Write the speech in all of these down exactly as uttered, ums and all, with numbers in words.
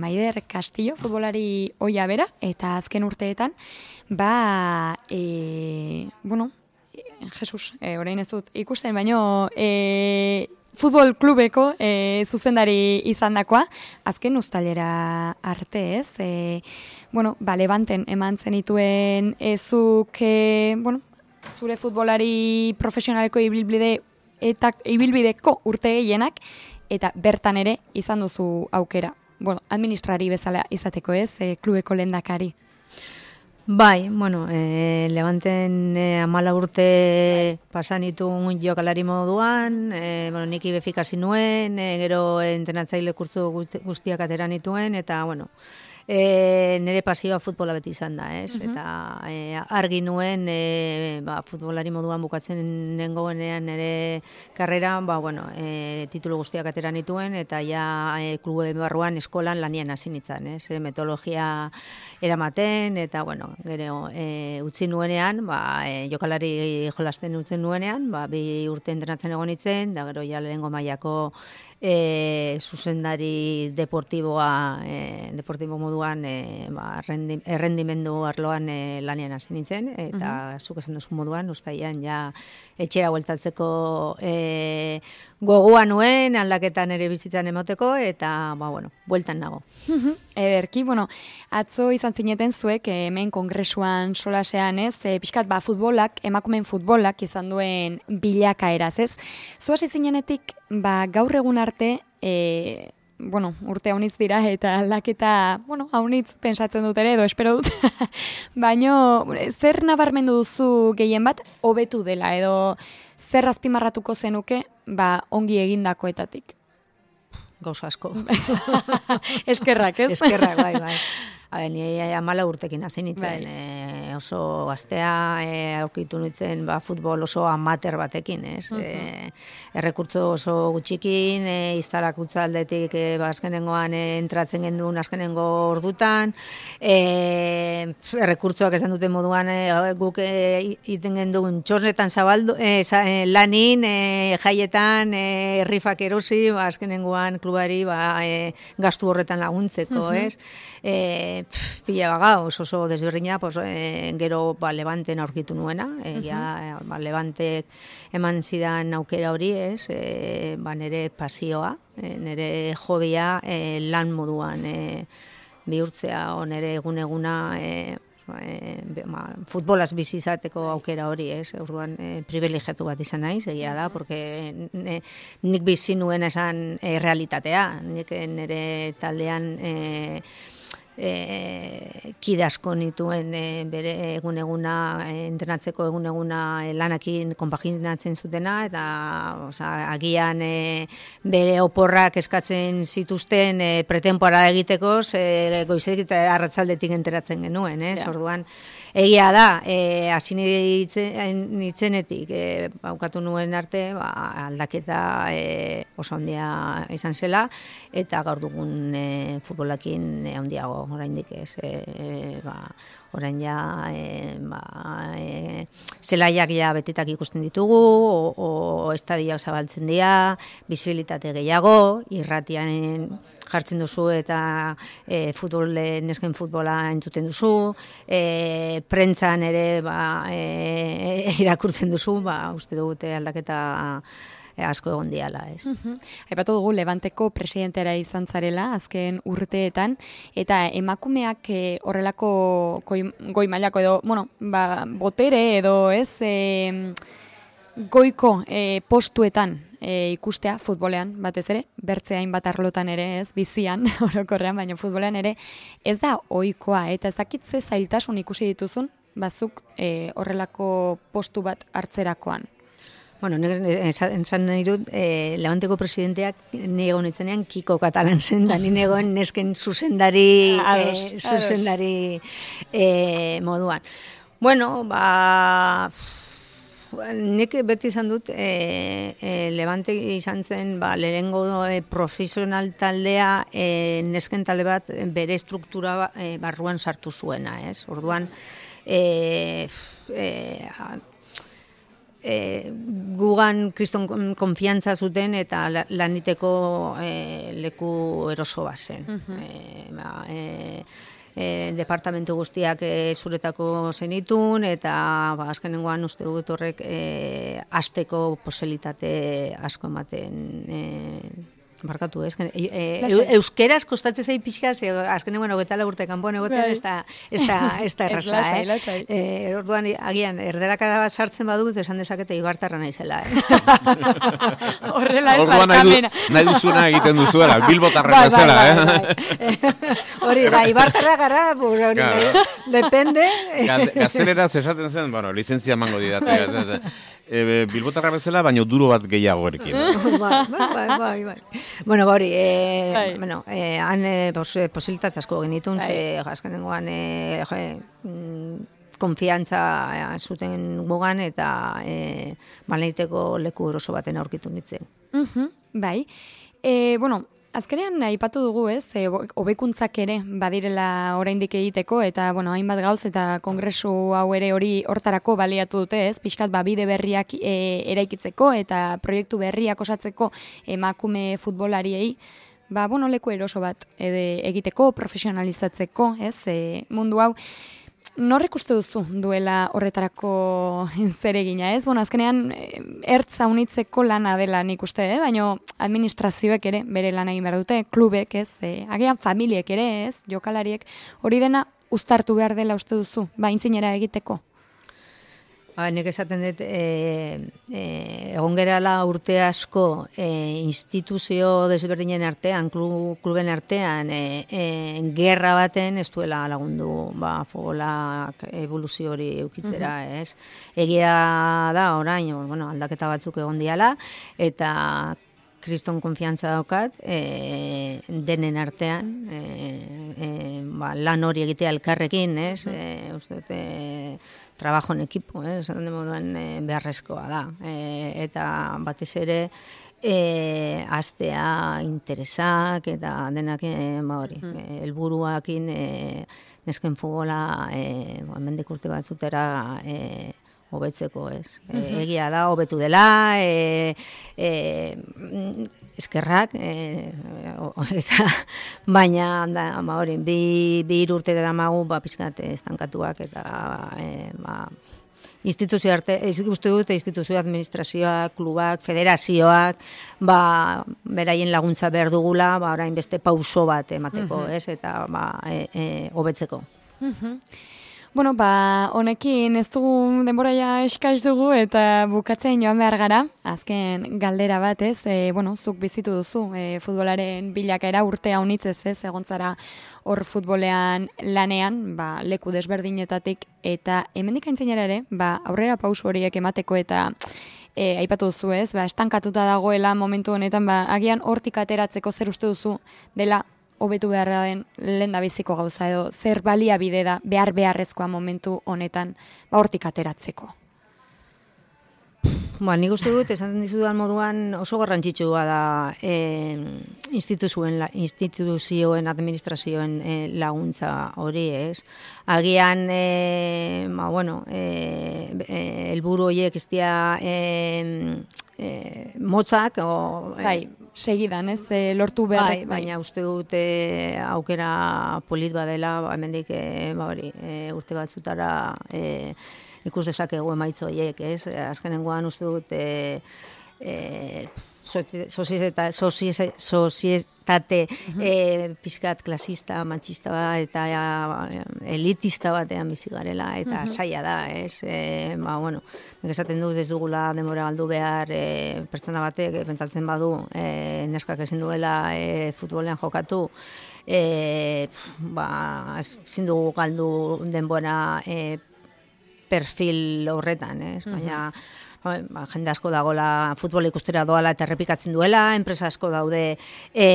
Maider Castillo, futbolari ohia bera, eta azken urteetan, ba, e, bueno, Jesus, e, orain ez dut ikusten, baino, e, futbol klubeko e, zuzendari izandakoa, azken uztailera arte, ez? E, bueno, ba, Levanten eman zenituen ezuk, e, bueno, zure futbolari profesionaleko ibilbide eta ibilbideko urte gehienak, eta bertan ere izan duzu aukera. Bueno, administrari bezala izateko, ez, e, klubeko lehendakari. Bai, bueno, e, Levanten e, amala urte pasan itun jokalari moduan, e, bueno, nik ibefikasi nuen, e, gero entrenatzaile kurtzu guztiak ateran ituen, eta, bueno, E, nire pasioa futbola beti izan da, ez? Uh-huh. Eta e, argi nuen e, ba, futbolari moduan bukatzen nengoenean nire karrera, ba, bueno, e, titulu guztiak ateran nituen, eta ja e, klube barruan eskolan lanien hasi nintzen, ez? E, metodologia eramaten, eta, bueno, gero e, utzi nuenean, ba, e, jokalari jolasten utzen nuenean, ba, bi urte entrenatzen egon nintzen, da gero ja lehengo mailako E, zuzendari deportiboa, e, deportibo moduan e, ba, errendimendu arloan e, lanean hasi nintzen, eta uh-huh. zuk esan duzu moduan, ustaian ja etxera bueltatzeko e, gogoa nuen, aldaketan ere bizitzan emoteko, eta, ba, bueno, bueltan nago. Uh-huh. Ederki, bueno, atzo izan zineten zuek, hemen kongresuan solasean, ez, e, pixkat, ba, futbolak, emakumeen futbolak izan duen bilakaeraz, ez? Zu hasi zinenetik, ba, gaur egun arte, e, bueno, urte haunitz dira, eta aldaketa, bueno, haunitz pensatzen dut ere, edo espero dut, baino, zer nabarmendu duzu gehien bat, hobetu dela, edo zer azpimarratuko zenuke, ba, ongi egindakoetatik? Gauza asko. Eskerrak, ez? Eskerrak, bai, bai. Habe, ni amala urtekin hasi nintzen, e, oso gaztea e, aurkitu nintzen ba, futbol oso amater batekin, ez? Uh-huh. E, errekurtzo oso gutxikin, e, iztarak utzaldetik e, ba, azkenengoan e, entratzen genduen azkenengo ordutan, e, errekurtzoak esan duten moduan e, guk e, iten genduen txosnetan zabaldu, e, za, e, lanin, e, jaietan, e, rifak erosi, ba, azkenengoan klubari ba, e, gastu horretan laguntzeko, uh-huh. ez? E, Pff, pila baga, oso oso desberdina, pues, e, gero ba, Levanten aurkitu nuena, e, uh-huh. ja, ba, Levantek eman zidan aukera hori, ez, e, ba, nire pasioa, e, nire jobia e, lan moduan e, bihurtzea, o nire egun-eguna e, e, ba, futbolaz bizi izateko aukera hori, ez, orduan e, privilegiatu bat izan naiz, egia da, porque ne, nik bizi nuen esan e, realitatea, nik nire taldean e, E, kide asko nituen e, bere egun-eguna e, entrenatzeko egun-eguna e, lanakin konpaginatzen zutena, eta oza, agian e, bere oporrak eskatzen zituzten e, pretemporada egiteko, e, goizetik eta arratzaldetik enteratzen genuen, ez? Yeah. Orduan, egia da, e, hasi nitzenetik e, baukatu nuen arte, ba, aldaketa e, oso handia izan zela, eta gaur dugun e, futbolakin e, handiago oraindik ez, e, e, ba, orain ja, e, ba, e, zelaiak ja betetak ikusten ditugu, o, o estadiak zabaltzen dira, bisibilitate gehiago, irratian jartzen duzu eta e, futbol, nesken futbola entzuten duzu, e, prentzan ere ba, e, irakurtzen duzu, ba, uste dugute aldaketa asko egon diala, ez. Uh-huh. Aipatu dugu Levanteko presidentera izan zarela azken urteetan, eta emakumeak e, horrelako goi, goi mailako edo, bueno, ba, botere edo ez, e, goiko e, postuetan e, ikustea futbolean, batez ere, bertze hainbat arlotan ere, ez, bizian, orokorrean, baina futbolean ere, ez da ohikoa, eta ez dakit ze zailtasun ikusi dituzun, bazuk e, horrelako postu bat hartzerakoan. Bueno, esan nahi dut, eh, Levanteko presidenteak ni egon itzenean Kiko Katalan zen, da ni egon nesken zuzendari, ados, eh, zuzendari eh, moduan. Bueno, ba, nik beti izan dut, eh, eh, Levante izan zen, ba, lehengo eh, profesional taldea, eh, nesken talde bat bere struktura eh, barruan sartu zuena, ez? Orduan, eh, eh, e, gugan kriston konfiantza zuten eta laniteko e, leku eroso bat zen. Uh-huh. e, ba, e, E, departamentu guztiak e, zuretako zenitun, eta ba, azkenengoan uste dut horrek e, asteko posibilitate asko ematen e, barkatu, ez? E, e, euskeraz kostatzen zei pixka, ze azkenengoan hogeita lau urte kanpoan egoten, ez da, ez da, ez da erraza, lasai, eh? Lasai. E, orduan, agian, erderakada bat sartzen badut, esan dezakete ibartarra naizela, eh? Horrela ez orduan nahi, du, nahi duzuna egiten duzuela, bilbotarra nazela, bai, eh? Bai, bai. Hori, da, ibartarra gara, hori, claro. Depende. Gazteleraz esaten zen, bueno, lizentzia mango didate, E, bilbotarra bezala, baina duro bat gehiago erekin. bai, bai, bai, bai. Bueno, hori, e, bai. bueno, e, han e, pos, posibilitate asko genitun, bai. Ze azkenengoan e, e, konfiantza e, zuten gugan eta e, balaiteko leku eroso baten aurkitu nintzen. Uh-huh, bai, e, bueno, azkenean aipatu dugu, ez, e, hobekuntzak ere badirela oraindik egiteko, eta, bueno, hainbat gauz eta kongresu hau ere hori hortarako baliatu dute, ez, pixkat ba, bide berriak e, eraikitzeko eta proiektu berriak osatzeko emakume futbolariei, ba, bueno, leku eroso bat ede, egiteko, profesionalizatzeko, ez, e, mundu hau. Norrek uste duzu duela horretarako zeregina, ez? Bueno, azkenean ertza unitzeko lana dela nik uste, eh? Baina administrazioek ere bere lan egin behar dute, klubek, ez? E, agian familiek ere, ez? Jokalariek hori dena uztartu behar dela uste duzu, ba, intzinera egiteko. Ba, nik esaten dut, e, e, egon gerala urte asko e, instituzio desberdinen artean, klub, kluben artean, e, e, gerra baten ez duela lagundu ba, futbolak evoluzio hori eukitzera, uh-huh. ez? Egia da, orain, bueno, aldaketa batzuk egon diala, eta kriston konfiantza daukat, e, denen artean, e, e, ba, lan hori egitea elkarrekin, ez? E, uste dut, e, trabajo en equipo, ez? Eh? Moduan e, beharrezkoa da. E, eta batez ere, e, astea interesak eta denak e, ba hori, mm. e, helburuakin e, nesken futbola e, hemendik urte batzutera e, hobetzeko, ez. Mm-hmm. E, egia da, hobetu dela, e, e, eskerrak, e, eta, baina, da, ba, hori, bi, bi urte da magu, ba, pizkat estankatuak, eta, e, ba, instituzio arte, ez uste dute instituzio administrazioak, klubak, federazioak, ba, beraien laguntza behar dugula, ba, orain beste pauso bat emateko, mm-hmm. ez, eta, ba, e, e, hobetzeko. Mm-hmm. Bueno, ba, honekin ez dugu denbora ja eskaz dugu eta bukatzen joan behar gara. Azken galdera bat, ez? E, bueno, zuk bizitu duzu, e, futbolaren bilakaera urtea unitzez, ez? Egontzara hor futbolean lanean, ba, leku desberdinetatik, eta hemendik aintzinera ere, ba, aurrera pausu horiek emateko eta e, aipatu duzu, ez? Ba, estankatuta dagoela momentu honetan, ba, agian hortik ateratzeko zer uste duzu dela hobetu beharra den lehen da biziko gauza edo zer baliabide da behar beharrezkoa momentu honetan ba hortik ateratzeko. Ba, nik uste dut, esan dizudan moduan oso garrantzitsua da e, instituzioen, instituzioen, administrazioen e, laguntza hori, ez? Agian, e, ba, bueno, e, e, elburu horiek ez dira e, e, motzak, o, bai, segidan, ez, e, lortu behar. Bai, baina uste dut e, aukera polit badela, ba, hemendik e, ba, hori, e, urte batzutara e, ikus dezakegu emaitza horiek, ez? Azkenengoan uste dut e, e, sozietate, sozietate e, pizkat klasista, machista bat, eta ja, elitista batean bizi garela, eta uh-huh. saia da, ez? E, ba, bueno, nik esaten dut ez dugula denbora galdu behar e, pertsona batek, e, pentsatzen badu, e, neskak ezin duela e, futbolean jokatu, e, ba, ezin dugu galdu denbora e, perfil horretan, ez? Baina, uh-huh. ba, jende asko dagoela futbola ikustera doala eta errepikatzen duela, enpresa asko daude e,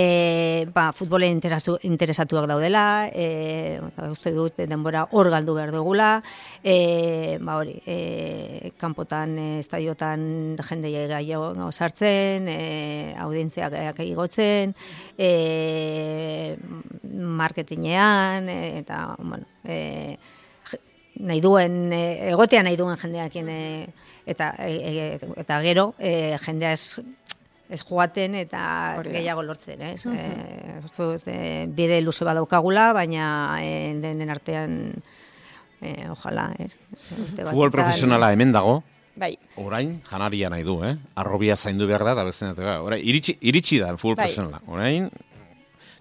ba, futbolen interesatuak daudela, e, uste dut denbora hor galdu behar dugula, e, ba hori, e, kanpotan, e, estadiotan jende gehiago sartzen, e, audientziak igotzen, e, marketingean, e, eta, bueno, e, nahi duen, e, egotea nahi duen jendeakin, e, eta, e, e, eta gero, e, jendea ez, ez joaten eta Hori da. gehiago lortzen, ez? Mhm. E, uste dut, e, bide luze badaukagula, baina e, denen artean, e, ojalá, ez? Urte Futbol batzutan- profesionala hemen dago, Bai. orain janaria nahi du, eh? Arrobia zaindu behar da, eta beste orain iritsi, iritsi da futbol Bai. profesionala. Orain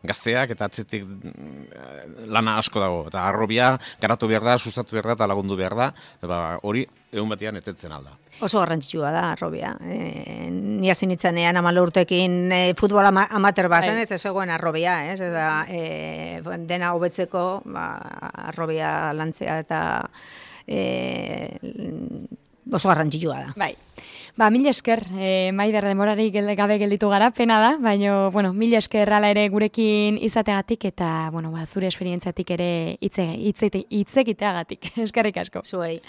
gazteak eta atzetik mm, lana asko dago. Eta arrobia garatu behar da, sustatu behar da, eta lagundu behar da. Eta hori egun batean etetzen alda. Oso garrantzitsua da, arrobia. E, ni hasi nitzanean hamar urtekin e, futbol ama, amateur bazen, Bai. ez zegoen arrobia, ez? Eta e, dena hobetzeko, ba, arrobia lantzea eta e, oso garrantzitsua da. Bai. Ba, mil esker, e, Maider denborarik gel- gabe gelditu gara, pena da, baina, bueno, mil esker hala ere gurekin izateagatik eta, bueno, ba, zure esperientziatik ere hitz hitz- hitz egiteagatik. Eskerrik asko. Zuei.